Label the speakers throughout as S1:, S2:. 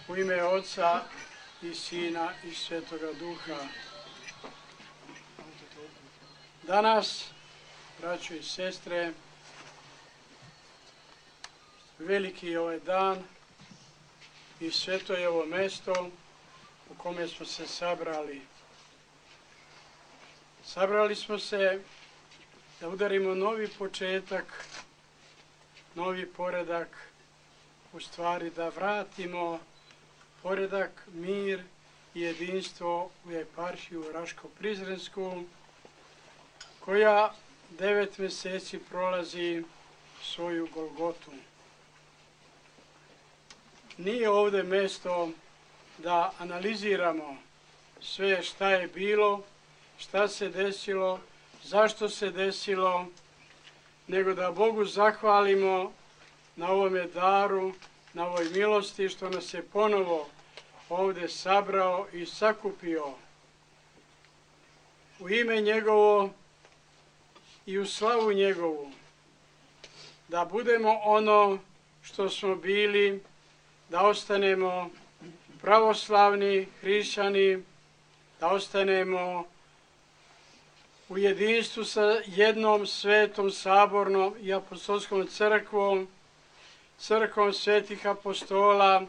S1: U ime Oca i Sina i Svetoga Duha. Danas, braćo i sestre, veliki je ovaj dan i sveto je ovo mesto u kome smo se sabrali. Sabrali smo se da udarimo novi početak, novi poredak, u stvari da vratimo poredak, mir i jedinstvo u eparhiju Raško-Prizrensku, koja 9 mjeseci prolazi svoju Golgotu. Nije ovdje mjesto da analiziramo sve šta je bilo, šta se desilo, zašto se desilo, nego da Bogu zahvalimo na ovome daru, na ovoj milosti što nas je ponovo ovdje sabrao i sakupio u ime njegovo i u slavu njegovu, da budemo ono što smo bili, da ostanemo pravoslavni hrišćani, da ostanemo u jedinstvu sa jednom svetom, sabornom i apostolskom crkvom, crkvom svetih apostola,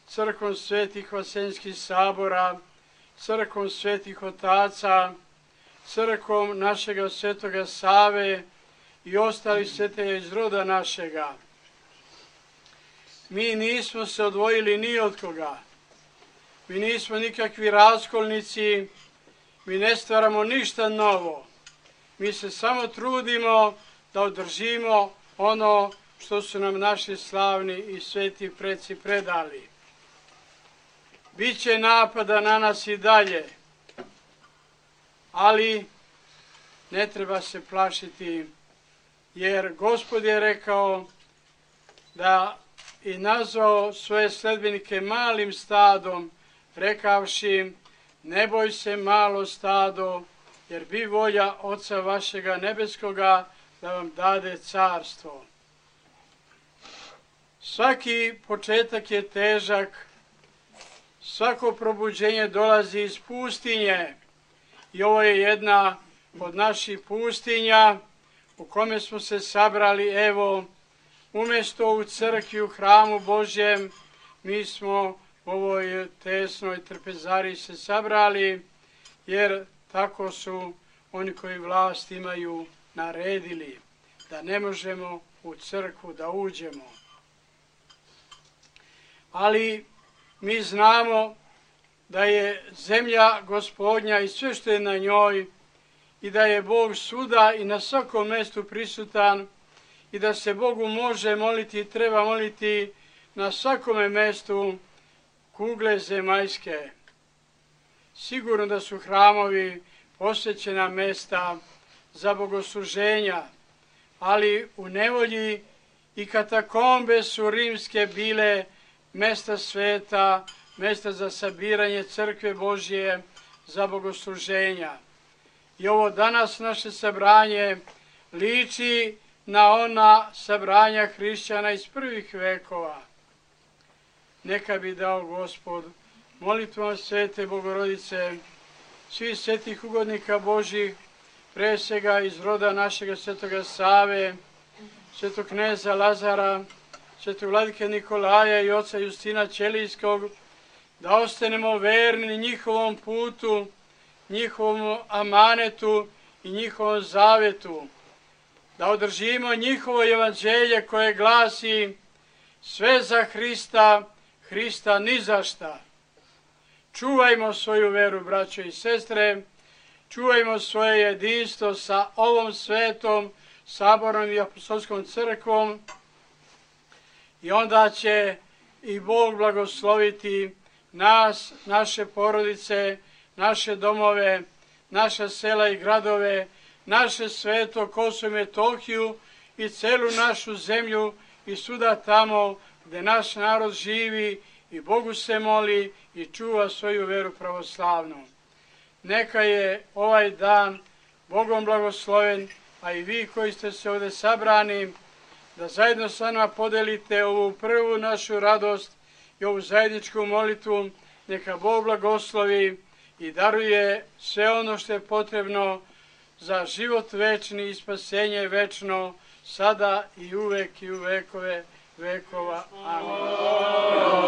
S1: crkvom svetih vaseljenskih sabora, crkvom svetih otaca, crkvom našega svetoga Save i ostalih svetelja iz roda našega. Mi nismo se odvojili ni od koga. Mi nismo nikakvi raskolnici, mi ne stvaramo ništa novo. Mi se samo trudimo da održimo ono što su nam naši slavni i sveti preci predali. Biće napada na nas i dalje, ali ne treba se plašiti, jer Gospod je rekao da i nazvao svoje sledbenike malim stadom, rekavši: ne boj se, malo stado, jer bi volja Oca vašega nebeskoga da vam dade carstvo. Svaki početak je težak, svako probuđenje dolazi iz pustinje i ovo je jedna od naših pustinja u kome smo se sabrali. Evo, umjesto u crkvi, u hramu Božjem, mi smo u ovoj tesnoj trpezari se sabrali, jer tako su oni koji vlast imaju naredili da ne možemo u crkvu da uđemo. Ali mi znamo da je zemlja Gospodnja i sve što je na njoj i da je Bog svuda i na svakom mjestu prisutan i da se Bogu može moliti i treba moliti na svakome mjestu kugle zemaljske. Sigurno da su hramovi posvećena mjesta za bogosluženja, ali u nevolji i katakombe su rimske bile mjesta sveta, mjesta za sabiranje crkve Božje, za bogosluženja. I ovo danas naše sabranje liči na ona sabranja hrišćana iz prvih vekova. Neka bi dao Gospod molitvom Svete Bogorodice, svih svetih ugodnika Božjih, pre svega iz roda našega svetoga Save, svetog kneza Lazara, svetog vladike Nikolaja i oca Justina Ćelijskog, da ostanemo verni njihovom putu, njihovom amanetu i njihovom zavetu, da održimo njihovo evanđelje koje glasi: sve za Hrista, Hrista ni za šta. Čuvajmo svoju veru, braćo i sestre, čuvajmo svoje jedinstvo sa ovom svetom, sabornom i apostolskom crkvom, i onda će i Bog blagosloviti nas, naše porodice, naše domove, naša sela i gradove, naše sveto Kosovo i Metohiju i celu našu zemlju i svuda tamo gde naš narod živi i Bogu se moli i čuva svoju veru pravoslavnu. Neka je ovaj dan Bogom blagosloven, a i vi koji ste se ovdje sabrani, da zajedno sa nama podelite ovu prvu našu radost i ovu zajedničku molitvu neka Bog blagoslovi i daruje sve ono što je potrebno za život večni i spasenje večno, sada i uvek i u vekove vekova. Amin.